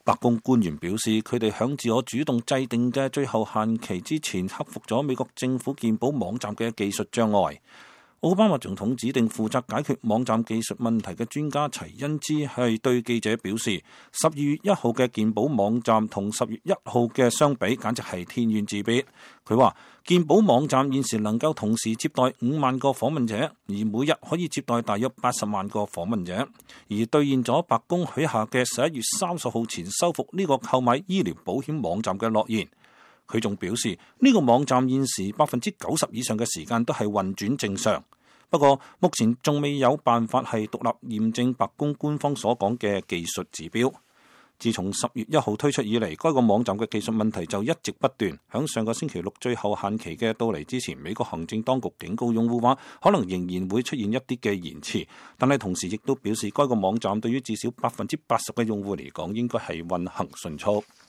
白宮官員表示，佢哋響自我主動制定嘅最後限期之前，克服咗美國政府健保網站嘅技術障礙。奧巴馬總統指定負責解決網站技術問題嘅專家齊恩茲係對記者表示，12月1號嘅健保網站同10月1號嘅相比，簡直係天淵之別。佢話，健保網站現時能夠同時接待5萬個訪問者，而每日可以接待大約80萬個訪問者，而兌現咗白宮許下嘅11月30號前修復呢個購買醫療保險網站嘅諾言。佢仲表示，呢個網站現時90%以上嘅時間都係運轉正常。不過目前仲未有辦法係獨立驗證白宮官方所講嘅技術指標。自從10月1號推出以嚟，該個網站嘅技術問題就一直不斷。響上個星期六最後限期嘅到嚟之前，美國行政當局警告用戶話，可能仍然會出現一啲嘅延遲，但係同時亦都表示，該個網站對於至少80%嘅用戶嚟講，應該係運行迅速。